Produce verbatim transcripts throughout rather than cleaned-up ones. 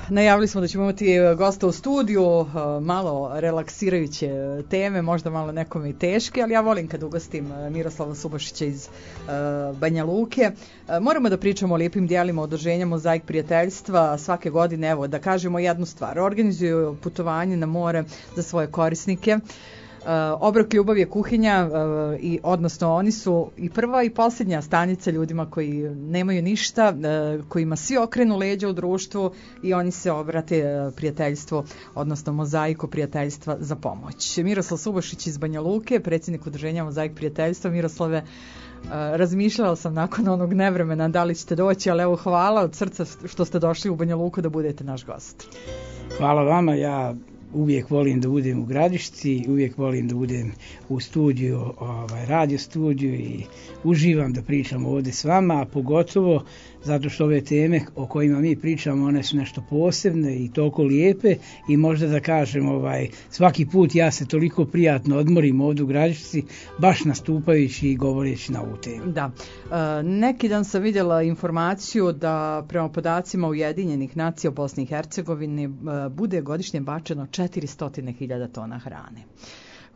najavili smo da ćemo imati gosta u studiju, malo relaksirajuće teme, možda malo nekome i teške, ali ja volim kad ugostim Miroslava Subašića iz Banja Luke. Moramo da pričamo o lijepim dijelima udruženja Mozaik prijateljstva. Svake godine, evo, da kažemo jednu stvar, organizuju putovanje na more za svoje korisnike. Uh, Obrok ljubav je kuhinja, uh, i odnosno oni su i prva i posljednja stanica ljudima koji nemaju ništa, uh, kojima svi okrenu leđa u društvu i oni se obrate uh, prijateljstvu, odnosno Mozaiku prijateljstva za pomoć. Miroslav Subašić iz Banja Luke, predsjednik udruženja Mozaik prijateljstva. Miroslave, uh, razmišljala sam nakon onog nevremena da li ćete doći, ali evo, hvala od srca što ste došli u Banja Luku da budete naš gost. Hvala vama, ja uvijek volim da budem u Gradišci, uvijek volim da budem u studiju, ovaj, radio studiju i uživam da pričam ovdje s vama, a pogotovo zato što ove teme o kojima mi pričamo, one su nešto posebne i toliko lijepe i možda da kažem, ovaj, svaki put ja se toliko prijatno odmorim ovdje u Gradišci, baš nastupajući i govoreći na ovu temu. Da, e, neki dan sam vidjela informaciju da prema podacima Ujedinjenih nacija u Bosni i Hercegovini e, bude godišnje bačeno četiristo hiljada tona hrane.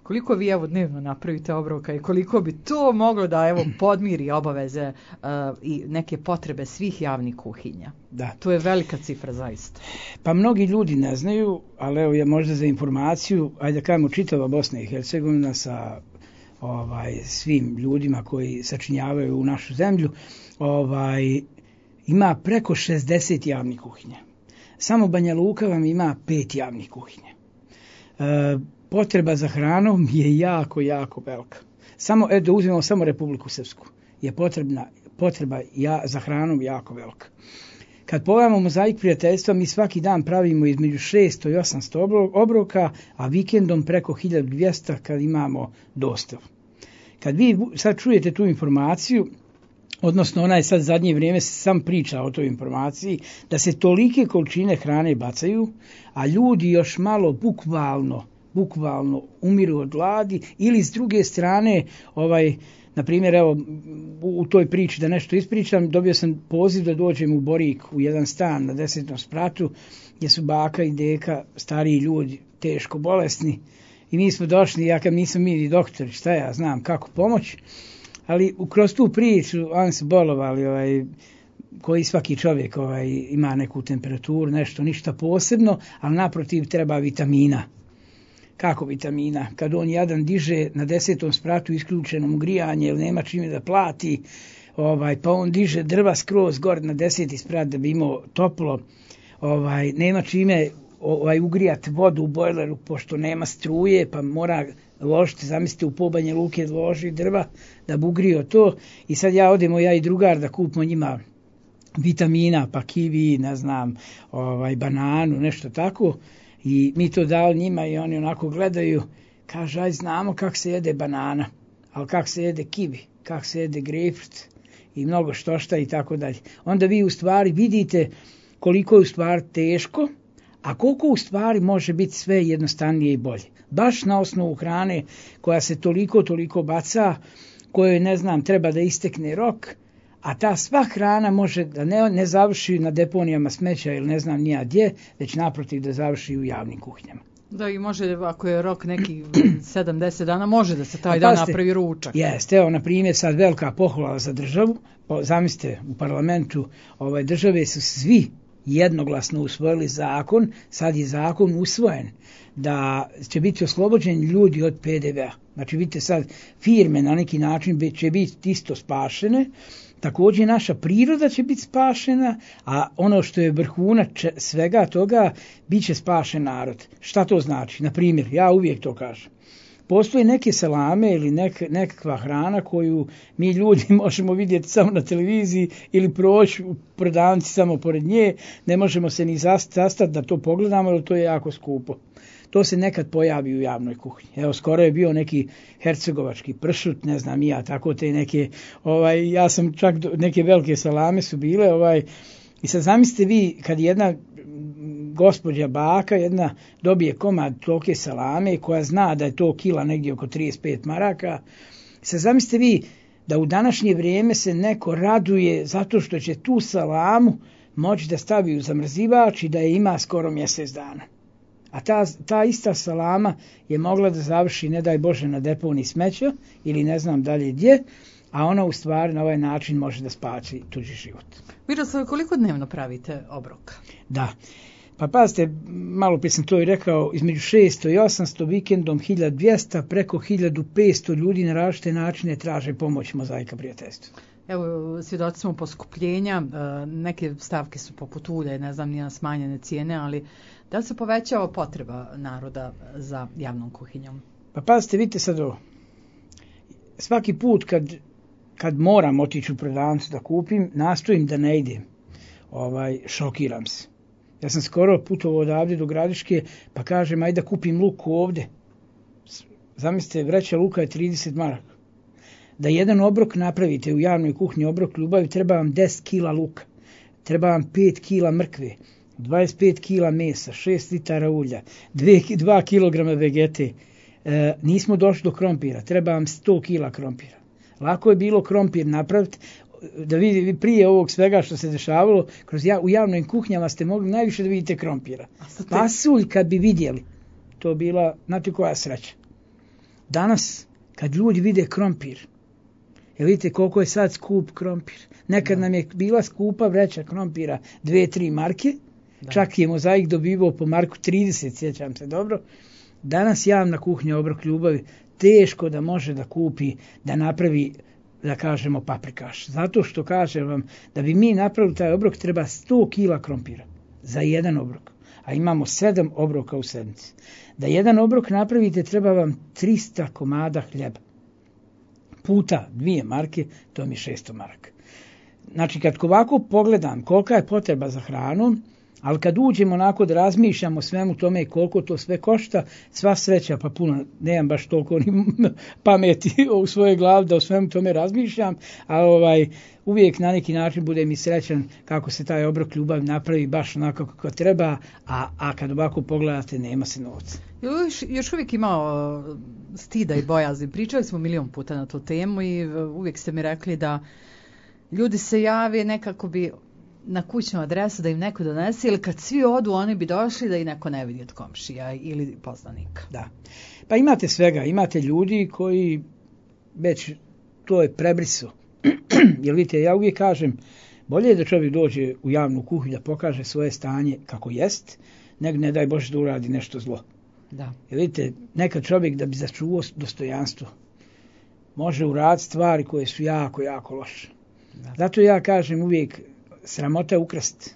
Koliko vi evo dnevno napravite obroka i koliko bi to moglo da evo podmiri obaveze uh, i neke potrebe svih javnih kuhinja? Da. To je velika cifra zaista. Pa mnogi ljudi ne znaju, ali evo ja možda za informaciju, ajde da kažemo čitava Bosna i Hercegovina sa ovaj, svim ljudima koji sačinjavaju u našu zemlju, ovaj, ima preko šezdeset javnih kuhinja. Samo Banja Luka vam ima pet javnih kuhinja. E, potreba za hranom je jako, jako velika. Samo, evo da uzmemo samo Republiku Srpsku, je potrebna, potreba ja, za hranom jako velika. Kad pogledamo Mozaik prijateljstva, mi svaki dan pravimo između šesto i osamsto obroka, a vikendom preko hiljadu dvjesto kad imamo dostavu. Kad vi sad čujete tu informaciju, odnosno ona je sad zadnje vrijeme se sam priča o toj informaciji, da se tolike količine hrane bacaju, a ljudi još malo bukvalno, bukvalno umiru od gladi, ili s druge strane, ovaj, na primjer, evo, u toj priči da nešto ispričam, dobio sam poziv da dođem u Borik u jedan stan na desetom spratu, gdje su baka i deka, stariji ljudi, teško bolesni, i mi smo došli, ja kad nisam mi doktori, šta ja znam kako pomoći, ali kroz tu priču oni su bolovali, ovaj, koji svaki čovjek ovaj, ima neku temperaturu, nešto, ništa posebno, ali naprotiv treba vitamina. Kako vitamina? Kad on jadan diže na desetom spratu isključenom grijanje, ili nema čime da plati, ovaj, pa on diže drva skroz gore na deseti sprat da bi imao toplo, ovaj, nema čime ovaj, ugrijati vodu u bojleru, pošto nema struje, pa mora ložiti, zamislite, u pobanje luke loži drva da bi ugrio to. I sad ja odemo, ja i drugar, da kupimo njima vitamina, pa kiwi, ne znam, ovaj, bananu, nešto tako. I mi to dali njima i oni onako gledaju, kaže, aj znamo kako se jede banana, ali kako se jede kiwi, kako se jede grejpfrut i mnogo što šta i tako dalje. Onda vi u stvari vidite koliko je u stvari teško, a koliko u stvari može biti sve jednostavnije i bolje. Baš na osnovu hrane koja se toliko, toliko baca, kojoj, ne znam, treba da istekne rok, a ta sva hrana može da ne, ne završi na deponijama smeća ili ne znam nija gdje, već naprotiv da završi u javnim kuhinjama. Da, i može, ako je rok neki sedamdeset dana, može da se taj dan napravi ručak. Jeste, evo, na primjer, sad velika pohvala za državu. Zamislite, u parlamentu ovaj, države su svi jednoglasno usvojili zakon, sad je zakon usvojen, da će biti oslobođeni ljudi od P D V-a. Znači, vidite sad, firme na neki način će biti isto spašene, također naša priroda će biti spašena, a ono što je vrhunac svega toga, bit će spašen narod. Šta to znači? Na primjer, ja uvijek to kažem. Postoje neke salame ili nek, nekakva hrana koju mi ljudi možemo vidjeti samo na televiziji ili proći u prodavnici samo pored nje, ne možemo se ni zastati da to pogledamo, jer to je jako skupo. To se nekad pojavi u javnoj kuhinji. Evo, skoro je bio neki hercegovački pršut, ne znam ja, tako te neke, ovaj, ja sam čak, neke velike salame su bile, ovaj, i sad zamislite vi, kad jedna gospođa baka, jedna dobije komad tolike salame, koja zna da je to kila negdje oko trideset pet maraka, sad zamislite vi da u današnje vrijeme se neko raduje zato što će tu salamu moći da stavi u zamrzivač i da je ima skoro mjesec dana. A ta, ta ista salama je mogla da završi, ne daj Bože, na deponiji smeća ili ne znam dalje gdje, a ona u stvari na ovaj način može da spasi tuđi život. Miroslav, koliko dnevno pravite obroka? Da. Pa pazite, malo prije sam to i rekao, između šesto i osamsto, vikendom hiljadu dvjesto, preko hiljadu petsto ljudi na različite načine traže pomoć Mozaika prijateljstva. Evo, svjedoci smo poskupljenja, neke stavke su poput ulja, ne znam, nije smanjene cijene, ali da li se povećava potreba naroda za javnom kuhinjom? Pa pazite, vidite sad ovo. Svaki put kad, kad moram otići u prodavnicu da kupim, nastojim da ne idem. Ovaj, šokiram se. Ja sam skoro putovao odavde do Gradiške, pa kažem, ajde da kupim luk ovde. Zamislite, vreća luka je trideset maraka. Da jedan obrok napravite u javnoj kuhinji, obrok ljubavi, treba vam deset kila luka, treba vam pet kila mrkve, dvadeset pet kila mesa, šest litara ulja, dva kilograma vegete. E, nismo došli do krompira, treba vam sto kila krompira. Lako je bilo krompir napraviti, da vidite prije ovog svega što se dešavalo, kroz ja, u javnim kuhnjama ste mogli najviše da vidite krompira. Pasulj kad bi vidjeli, to bila, znate koja sreća. Danas, kad ljudi vide krompir, jel vidite koliko je sad skup krompir. Nekad da. nam je bila skupa vreća krompira dve tri marke, da. Čak je Mozaik dobivao po marku trideset, sjećam se dobro. Danas javna kuhnja Obrok ljubavi teško da može da kupi, da napravi, da kažemo, paprikaš. Zato što kažem vam, da bi mi napravili taj obrok treba sto kila krompira za jedan obrok. A imamo sedam obroka u sedmici. Da jedan obrok napravite treba vam trista komada hljeba. Puta dvije marke, to mi je šesto maraka. Znači, kad ovako pogledam kolika je potreba za hranom, ali kad uđemo onako da razmišljamo svemu tome koliko to sve košta, sva sreća, pa puno, nemam baš toliko ni pameti u svojoj glavi da o svemu tome razmišljam, a ovaj, uvijek na neki način bude mi srećan kako se taj obrok ljubavi napravi baš onako kako treba, a, a kad ovako pogledate nema se novca. Još, još uvijek imao stida i bojazni. Pričali smo milion puta na tu temu i uvijek ste mi rekli da ljudi se jave nekako bi na kućnu adresu da im neko donese ili kad svi odu oni bi došli da i neko ne vidi od komšija ili poznanika. Da. Pa imate svega, imate ljudi koji već to je prebriso. Jer vidite, ja uvijek kažem, bolje je da čovjek dođe u javnu kuhinju da pokaže svoje stanje kako jest, nego ne daj Bože da uradi nešto zlo. Da. Jer vidite, nekad čovjek da bi začuvao dostojanstvo može uraditi stvari koje su jako, jako loše. Da. Zato ja kažem uvijek, sramota je ukrast.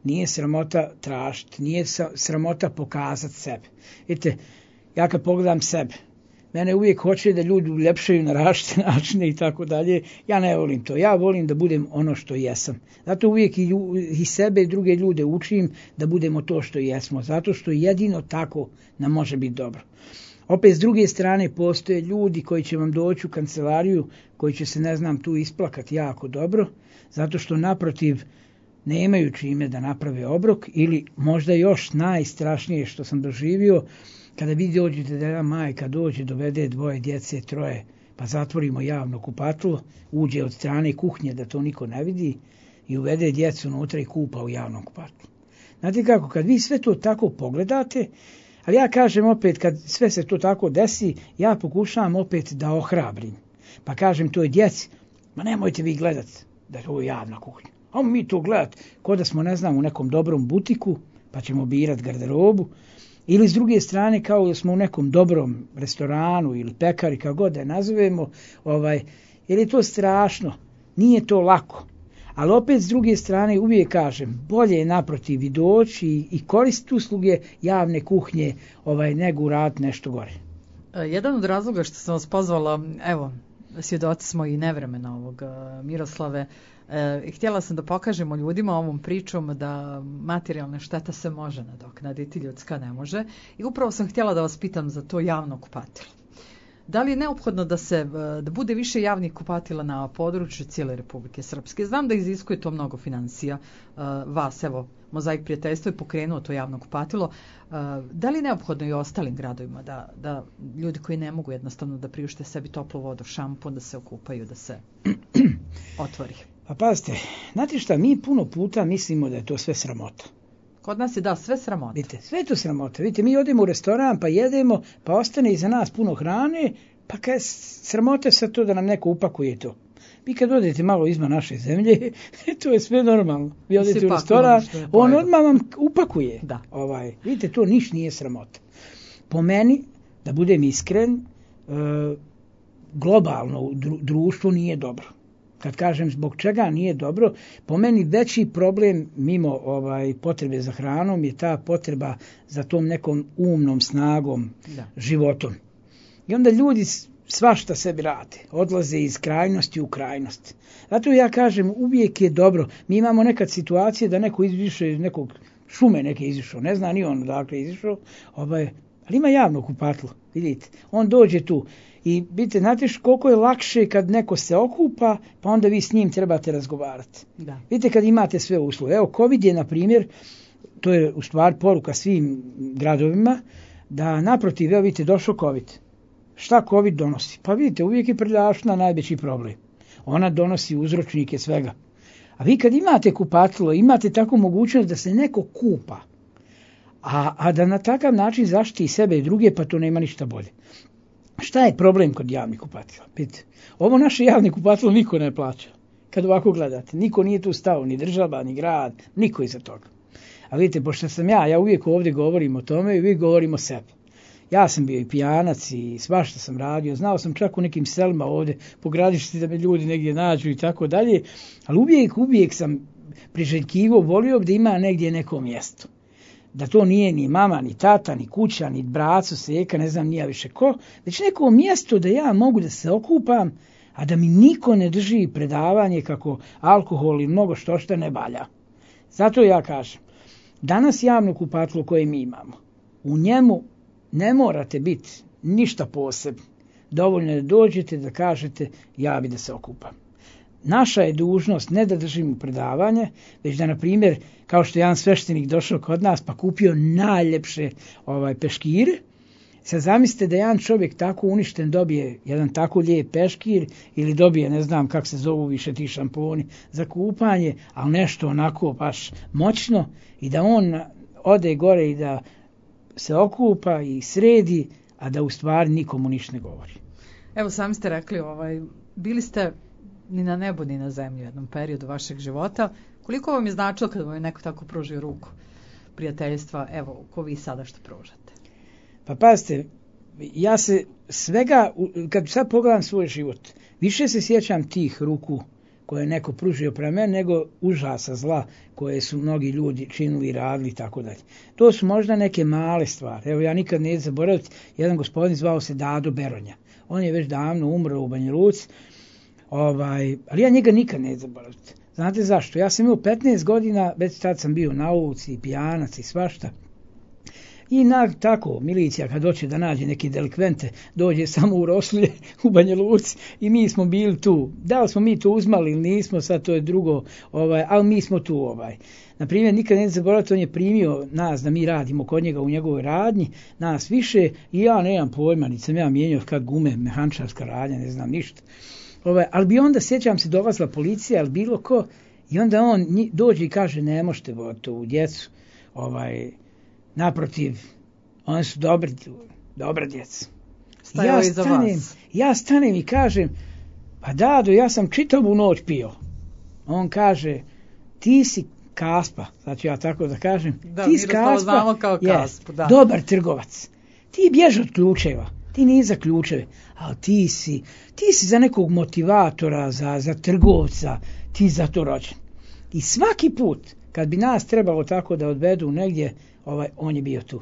Nije sramota tražiti, nije sramota pokazati sebe. Vidite, ja kad pogledam sebe, mene uvijek hoće da ljudi uljepšaju na različite načine i tako dalje. Ja ne volim to. Ja volim da budem ono što jesam. Zato uvijek i, i sebe i druge ljude učim da budemo to što jesmo. Zato što jedino tako nam može biti dobro. Opet s druge strane postoje ljudi koji će vam doći u kancelariju, koji će se, ne znam, tu isplakati jako dobro, zato što naprotiv nemaju čime da naprave obrok ili možda još najstrašnije što sam doživio, kada vi dođete da jedna majka dođe, dovede dvoje djece, troje, pa zatvorimo javno kupatilo, uđe od strane kuhnje da to niko ne vidi i uvede djecu unutra i kupa u javnom kupatlu. Znate kako, kad vi sve to tako pogledate, ali ja kažem opet, kad sve se to tako desi, ja pokušavam opet da ohrabrim. Pa kažem toj djeci, ma nemojte vi gledati da je ovo javna kuhinja. Ajmo mi to gledati ko da smo, ne znam, u nekom dobrom butiku, pa ćemo birati garderobu. Ili s druge strane, kao da smo u nekom dobrom restoranu ili pekari, kako god da je nazovemo, ovaj, jer je to strašno, nije to lako. Ali opet s druge strane uvijek kažem, bolje je naprotiv i doći i, i koristiti usluge javne kuhnje ovaj, nego uraditi nešto gore. Jedan od razloga što sam vas pozvala, evo, svjedoci smo i nevremena ovog Miroslave, e, htjela sam da pokažemo ljudima ovom pričom da materijalna šteta se može nadoknaditi, ljudska ne može. I upravo sam htjela da vas pitam za to javno kupatilo. Da li je neophodno da se da bude više javnih kupatila na području cijele Republike Srpske? Znam da iziskuje to mnogo financija. Vas, evo, Mozaik prijateljstvo je pokrenuo to javno kupatilo. Da li je neophodno i ostalim gradovima da, da ljudi koji ne mogu jednostavno da priušte sebi toplu vodu, šampon, da se okupaju, da se otvori? Pa pazite, znate šta, mi puno puta mislimo da je to sve sramota. Kod nas je da sve sramota. Vidite, sve je to sramota. Vidite, mi odemo u restoran pa jedemo, pa ostane iza nas puno hrane, pa kaj sramota sad to da nam neko upakuje to. Vi kad odete malo izvan naše zemlje, to je sve normalno. Vi odete u restoran, on odmah vam upakuje. Da. Ovaj, vidite, to niš nije sramota. Po meni, da budem iskren, e, globalno društvo nije dobro. Kad kažem zbog čega nije dobro, po meni veći problem mimo ovaj potrebe za hranom je ta potreba za tom nekom umnom snagom, da. Životom. I onda ljudi svašta sebi rade, odlaze iz krajnosti u krajnost. Zato ja kažem, uvijek je dobro. Mi imamo nekad situacije da neko izišao iz nekog šume, neke izišao, ne zna ni on odakle izišao, ovaj, ali ima javno kupatilo, vidite. On dođe tu. I vidite, znate koliko je lakše kad neko se okupa, pa onda vi s njim trebate razgovarati. Da. Vidite kad imate sve uslove. Evo, COVID je, na primjer, to je u stvari poruka svim gradovima, da naprotiv, evo vidite, došao COVID. Šta COVID donosi? Pa vidite, uvijek je prljavština najveći problem. Ona donosi uzročnike svega. A vi kad imate kupatilo, imate takvu mogućnost da se neko kupa, a, a da na takav način zaštiti sebe i druge, pa to nema ništa bolje. Šta je problem kod javnih kupatila? Vidite, ovo naše javne kupatilo niko ne plaća. Kad ovako gledate, niko nije tu stao, ni država, ni grad, niko iza toga. A vidite, pošto sam ja, ja uvijek ovdje govorim o tome i uvijek govorim o sebi. Ja sam bio i pijanac i svašta sam radio, znao sam čak u nekim selima ovdje po gradišti da me ljudi negdje nađu i tako dalje, ali uvijek, uvijek sam priželjkivo volio da ima negdje neko mjesto. Da to nije ni mama, ni tata, ni kuća, ni braco, seka, ne znam nija više ko, već neko mjesto da ja mogu da se okupam, a da mi niko ne drži predavanje kako alkohol i mnogo što što ne valja. Zato ja kažem, danas javno kupatilo koje mi imamo, u njemu ne morate biti ništa posebno. Dovoljno je da dođete da kažete ja bi da se okupam. Naša je dužnost ne da držimo predavanje, već da, na primjer, kao što je jedan sveštenik došao kod nas pa kupio najljepše ovaj, peškire, sad zamislite da jedan čovjek tako uništen dobije jedan tako lijep peškir ili dobije, ne znam kako se zovu više ti šamponi za kupanje, ali nešto onako baš moćno i da on ode gore i da se okupa i sredi, a da u stvari nikomu ništa ne govori. Evo, sami ste rekli, ovaj, bili ste ni na nebu ni na zemlji u jednom periodu vašeg života. Koliko vam je značilo kada vam je neko tako pružio ruku prijateljstva, evo, ko vi sada što pružate? Pa pazite, ja se svega, kad sad pogledam svoj život, više se sjećam tih ruku koje je neko pružio prema mene, nego užasa zla koje su mnogi ljudi činili, radili i tako dalje. To su možda neke male stvari. Evo, ja nikad neću zaboraviti, jedan gospodin zvao se Dado Beronja. On je već davno umro u Banja Luci, ovaj, ali ja njega nikad neću zaboraviti. Znate zašto? Ja sam imao petnaest godina, već tad sam bio na ulici, pijanac i svašta. I na, tako, milicija kad doće da nađe neke delikvente, dođe samo u Rosulje, u Banja Luci i mi smo bili tu. Da li smo mi to uzmali ili nismo, sad to je drugo, ovaj, ali mi smo tu. Ovaj. Naprimjer, nikad ne zaboraviti, on je primio nas da mi radimo kod njega u njegovoj radnji, nas više, i ja nemam pojma, niti sam ja mijenjao kad gume, mehančarska radnja, ne znam ništa. Ovaj, ali bi onda, sjećam se, dolazila policija ili bilo ko, i onda on dođe i kaže, ne možete voditi ovu djecu, ovaj, naprotiv, oni su dobri, dobra djeca. Ja stanem, ja stanem i kažem, pa Dado, ja sam čitavu noć pio. On kaže, ti si Kaspa, znači ja tako da kažem, da, ti si Kaspa, znamo kao Kaspu, yes, da. Dobar trgovac. Ti bježi od ključeva, ti nije za ključeve, ali ti si, ti si za nekog motivatora, za, za trgovca, ti za to rođen. I svaki put, kad bi nas trebalo tako da odvedu negdje, ovaj, on je bio tu.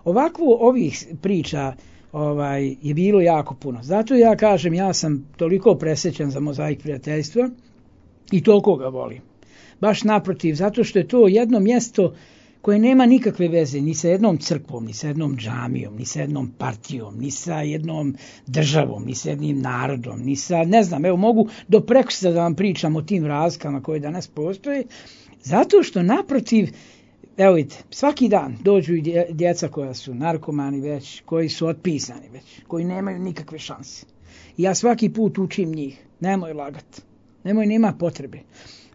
Ovako ovih priča ovaj, je bilo jako puno. Zato ja kažem, ja sam toliko presrećan za Mozaik prijateljstva i toliko ga volim. Baš naprotiv, zato što je to jedno mjesto koje nema nikakve veze ni sa jednom crkvom, ni sa jednom džamijom, ni sa jednom partijom, ni sa jednom državom, ni sa jednim narodom, ni sa, ne znam, evo mogu do prekosutra da vam pričam o tim razlikama koje danas postoje, zato što naprotiv, evo vidite, svaki dan dođu i djeca koja su narkomani već, koji su otpisani već, koji nemaju nikakve šanse. I ja svaki put učim njih, nemoj lagati, Nemoj, nema potrebe.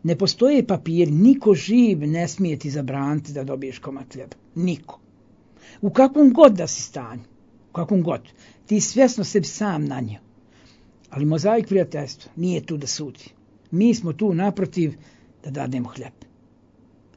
Ne postoje papiri, niko živ ne smije ti zabraniti da dobiješ komad hljeba. Niko. U kakvom god da si stanju, u kakvom god, ti svjesno sebi sam nanio. Ali Mozaik prijateljstva nije tu da sudi. Mi smo tu naprotiv da dademo hljeb.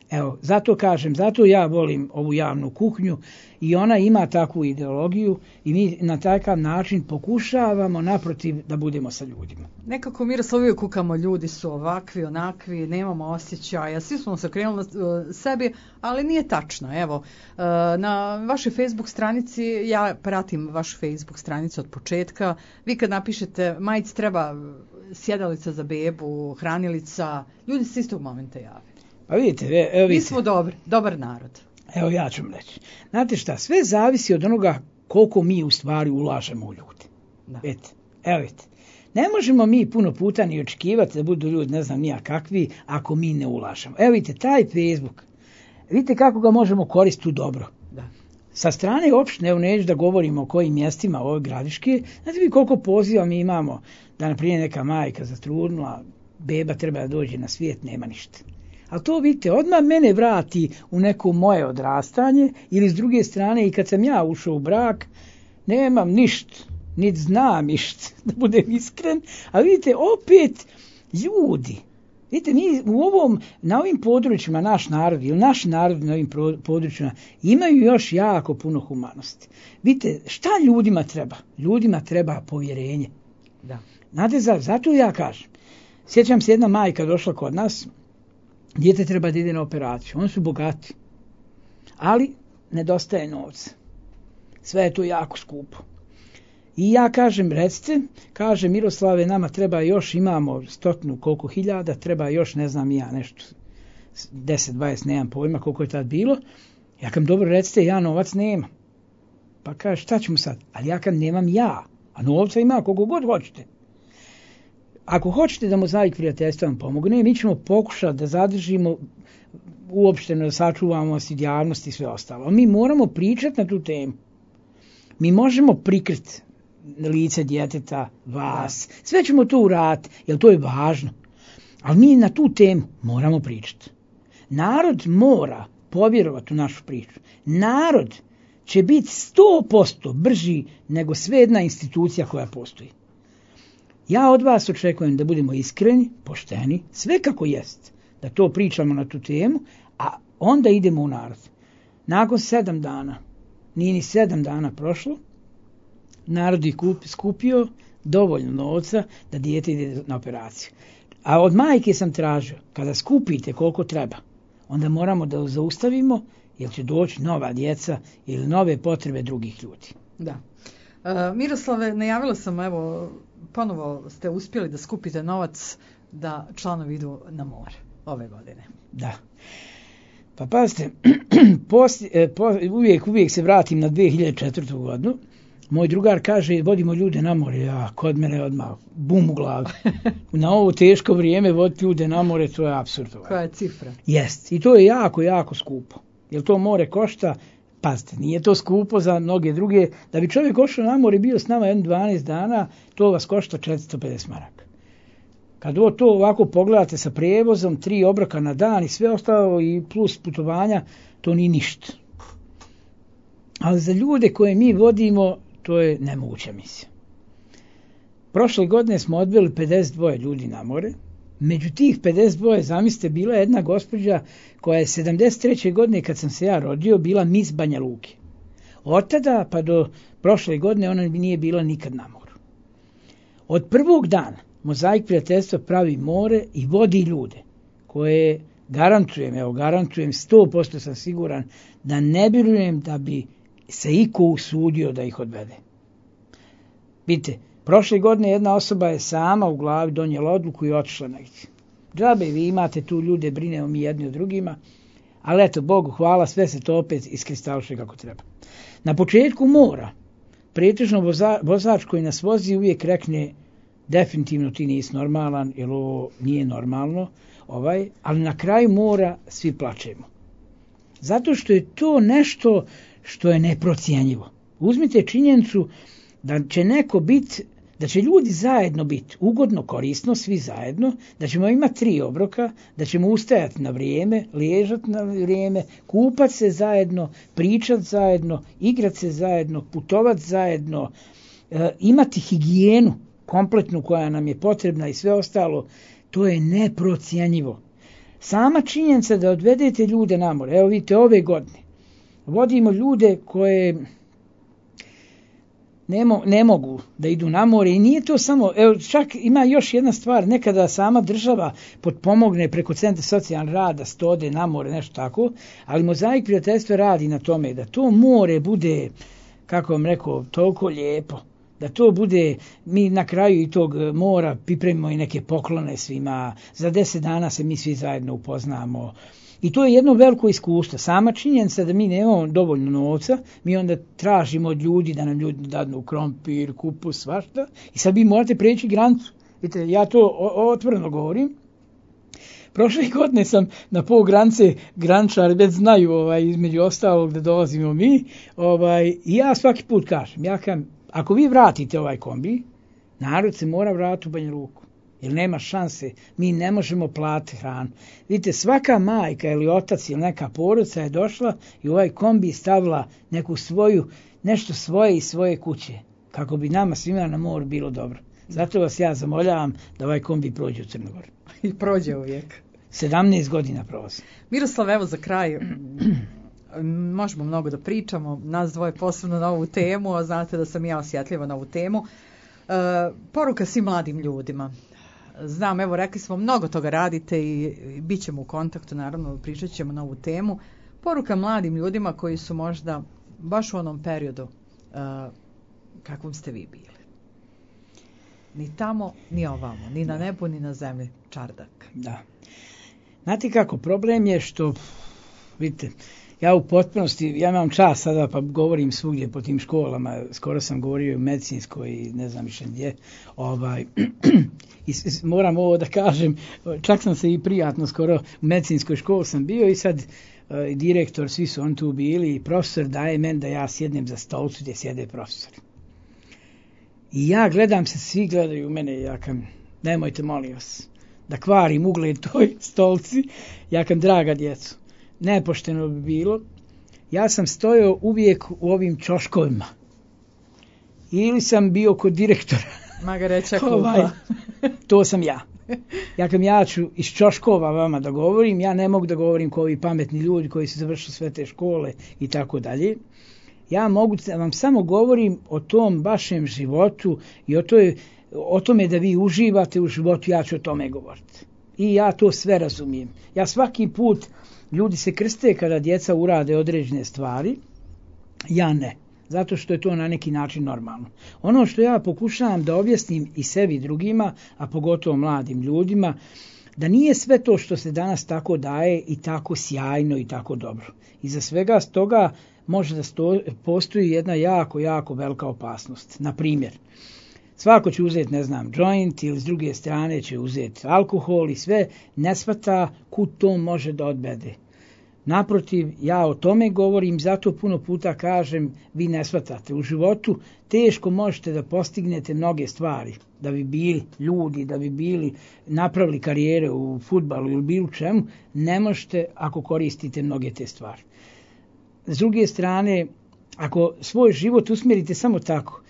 Evo, zato kažem, zato ja volim ovu javnu kuhinju i ona ima takvu ideologiju i mi na takav način pokušavamo naprotiv da budemo sa ljudima. Nekako Miroslav uvijek kukamo, ljudi su ovakvi, onakvi, nemamo osjećaja, svi smo se okrenuli uh, sebi, ali nije tačno. Evo, uh, na vašoj Facebook stranici, ja pratim vašu Facebook stranicu od početka, vi kad napišete majic treba sjedalica za bebu, hranilica, ljudi se istog momenta jave. Pa vidite, evo vidite. Mi smo dobri, dobar narod. Evo ja ću vam reći. Znate šta, sve zavisi od onoga koliko mi u stvari ulažemo u ljude. Da. Vidite, evo vidite. Ne možemo mi puno puta ni očekivati da budu ljudi ne znam nija kakvi ako mi ne ulažemo. Evo vidite, taj Facebook, vidite kako ga možemo koristiti u dobro. Da. Sa strane opštine, evo neću da govorimo o kojim mjestima ove gradiške, znate vi koliko poziva mi imamo da naprimjer neka majka zatrudnula, beba treba da dođe na svijet, nema ništa. Ali to vidite, odmah mene vrati u neko moje odrastanje ili s druge strane i kad sam ja ušao u brak, nemam ništa, niti znam ništa, da budem iskren, a vidite, opet ljudi, vidite, mi u ovom, na ovim područjima, naš narod ili naši narod na ovim područjima imaju još jako puno humanosti. Vidite, šta ljudima treba? Ljudima treba povjerenje. Da. Znate, zato ja kažem, sjećam se jedna majka došla kod nas, dijete treba da ide na operaciju. Oni su bogati. Ali nedostaje novca. Sve je to jako skupo. I ja kažem, recite, kaže Miroslave, nama treba još, imamo stotinu koliko hiljada, treba još, ne znam ja, nešto, deset, dvadeset, nemam pojma koliko je tad bilo. Ja kam dobro, recite, ja novac nema. Pa kaže, šta ćemo sad? Ali ja kam nemam ja, a novca ima koliko god hoćete. Ako hoćete da Mozaik prijateljstva vam pomogne, mi ćemo pokušati da zadržimo uopšteno, da sačuvamo javnost i sve ostalo. Mi moramo pričati na tu temu. Mi možemo prikriti lice djeteta, vas. Sve ćemo to uraditi, jer to je važno. Ali mi na tu temu moramo pričati. Narod mora povjerovati u našu priču. Narod će biti sto posto brži nego sve jedna institucija koja postoji. Ja od vas očekujem da budemo iskreni, pošteni, sve kako jest, da to pričamo na tu temu, a onda idemo u narod. Nakon sedam dana, nije ni sedam dana prošlo, narod je skupio dovoljno novca da dijete ide na operaciju. A od majke sam tražio, kada skupite koliko treba, onda moramo da zaustavimo, jer će doći nova djeca ili nove potrebe drugih ljudi. Da. Uh, Miroslave, najavila sam, evo, ponovo ste uspjeli da skupite novac da članovi idu na more ove godine. Da. Pa pazite, poslije, po, uvijek, uvijek se vratim na dvije hiljade četvrtu godinu. Moj drugar kaže, vodimo ljude na more. Ja, kod mene odmah, bum u glavi. Na ovo teško vrijeme voditi ljude na more, to je apsurd. Koja je cifra? Jest. I to je jako, jako skupo. Jer to more košta, pazite, nije to skupo za mnoge druge. Da bi čovjek ošao na more i bio s nama jedno dvanaest dana, to vas košta četiristo pedeset maraka. Kad to ovako pogledate sa prijevozom, tri obroka na dan i sve ostalo i plus putovanja, to nije ništa. Ali za ljude koje mi vodimo, to je nemoguća misija. Prošle godine smo odveli pedeset dva ljudi na more. Među tih pedeset dva, zamislite, bila je jedna gospođa koja je sedamdeset treće godine, kad sam se ja rodio, bila mis Banja Luke. Od tada pa do prošle godine ona nije bila nikad na moru. Od prvog dana Mozaik prijateljstva pravi more i vodi ljude koje garantujem, evo garantujem, sto posto sam siguran da ne vjerujem da bi se iko usudio da ih odvede. Vidite, prošle godine jedna osoba je sama u glavi donijela odluku i otišla negdje. Džabe, vi imate tu ljude, brinemo mi jedni o drugima, ali eto, Bogu hvala, sve se to opet iskristališe kako treba. Na početku mora, pretežno voza, vozač koji nas vozi uvijek rekne, definitivno ti nisi normalan, jer ovo nije normalno, ovaj, ali na kraju mora svi plačemo. Zato što je to nešto što je neprocijenjivo. Uzmite činjenicu da će neko biti da će ljudi zajedno biti ugodno, korisno, svi zajedno, da ćemo imati tri obroka, da ćemo ustajati na vrijeme, liježati na vrijeme, kupati se zajedno, pričati zajedno, igrati se zajedno, putovati zajedno, e, imati higijenu kompletnu koja nam je potrebna i sve ostalo, to je neprocjenjivo. Sama činjenica da odvedete ljude na more, evo vidite ove godine, vodimo ljude koje ne, mo, ne mogu da idu na more i nije to samo, evo čak ima još jedna stvar, nekada sama država potpomogne preko Centra socijalnog rada sto ode na more, nešto tako, ali Mozaik prijateljstva radi na tome da to more bude, kako vam rekao, toliko lijepo, da to bude, mi na kraju i tog mora pripremimo i neke poklone svima, za deset dana se mi svi zajedno upoznamo. I to je jedno veliko iskustvo. Sama činjenica da mi nemamo dovoljno novca, mi onda tražimo od ljudi da nam ljudi dadnu krompir, kupus, svašta. I sad vi morate preći granicu. Vidite, ja to otvoreno govorim. Prošle godine sam na pol granice, graničari već znaju ovaj, između ostalog da dolazimo mi. Ovaj, I ja svaki put kažem, ja kažem, ako vi vratite ovaj kombi, narod se mora vratiti u Banja Luku. Jer nema šanse, mi ne možemo platiti hranu. Vidite, svaka majka ili otac ili neka porodica je došla i u ovaj kombi stavila neku svoju, nešto svoje iz svoje kuće, kako bi nama svima na moru bilo dobro. Zato vas ja zamoljavam da ovaj kombi prođe u Crnogoru. I prođe uvijek. sedamnaest godina prolazi. Miroslav, evo za kraj, možemo mnogo da pričamo, nas dvoje posebno na ovu temu, a znate da sam ja osjetljiva na ovu temu. E, poruka svim mladim ljudima. Znam, evo, rekli smo, mnogo toga radite i, i bit ćemo u kontaktu, naravno, pričat ćemo na ovu temu. Poruka mladim ljudima koji su možda baš u onom periodu uh, kakvom ste vi bili. Ni tamo, ni ovamo, ni na nebu, ni na zemlji, čardak. Da. Znate kako, problem je što, vidite, ja u potpunosti, ja imam čas sada pa govorim svugdje po tim školama, skoro sam govorio u medicinskoj i ne znam više gdje, ovaj, i moram ovo da kažem, čak sam se i prijatno skoro u medicinskoj školi sam bio i sad uh, direktor, svi su on tu bili i profesor daje meni da ja sjednem za stolcu gdje sjede profesori. I ja gledam se, svi gledaju u mene i ja kam, nemojte molim vas, da kvarim ugled toj stolci, ja kam, draga djecu, nepošteno bi bilo, ja sam stojao uvijek u ovim čoškovima. Ili sam bio kod direktora. Magareća klupa. ovaj, to sam ja. Ja kam, ja ću iz čoškova vama da govorim, ja ne mogu da govorim kao ovi pametni ljudi koji su završili sve te škole i tako dalje. Ja mogu da vam samo govorim o tom vašem životu i o, toj, o tome da vi uživate u životu, ja ću o tome govoriti. I ja to sve razumijem. Ja svaki put, ljudi se krste kada djeca urade određene stvari, ja ne. Zato što je to na neki način normalno. Ono što ja pokušavam da objasnim i sebi i drugima, a pogotovo mladim ljudima, da nije sve to što se danas tako daje i tako sjajno i tako dobro. Iza svega toga može da sto, postoji jedna jako, jako velika opasnost. Na primjer, svako će uzeti, ne znam, joint ili s druge strane će uzeti alkohol i sve, ne shvata kud to može da odvede. Naprotiv, ja o tome govorim, zato puno puta kažem, vi ne shvatate. U životu teško možete da postignete mnoge stvari, da bi bili ljudi, da bi bili napravili karijere u fudbalu ili bilo čemu, ne možete ako koristite mnoge te stvari. S druge strane, ako svoj život usmjerite samo tako,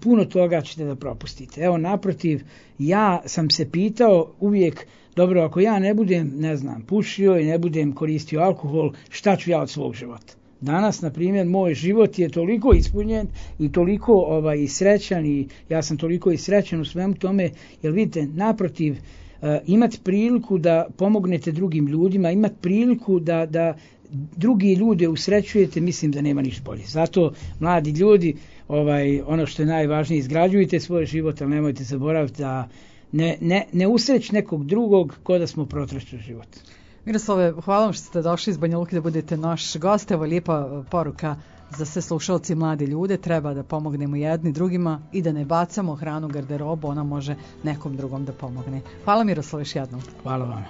puno toga ćete da propustite. Evo, naprotiv, ja sam se pitao uvijek, dobro, ako ja ne budem, ne znam, pušio i ne budem koristio alkohol, šta ću ja od svog života? Danas, na primjer, moj život je toliko ispunjen i toliko ovaj, srećan i ja sam toliko i srećan u svemu tome, jer vidite, naprotiv, uh, imati priliku da pomognete drugim ljudima, imati priliku da, da drugi ljude usrećujete, mislim da nema ništa bolje. Zato, mladi ljudi, ovaj, ono što je najvažnije, izgrađujte svoj život, ali nemojte zaboraviti da ne, ne, ne usreć nekog drugog ko da smo protračili život. Miroslave, hvala vam što ste došli iz Banja Luke da budete naš gost. Evo lijepa poruka za sve slušalci i mlade ljude. Treba da pomognemo jedni drugima i da ne bacamo hranu u garderobu, ona može nekom drugom da pomogne. Hvala Miroslave još jednom. Hvala vam.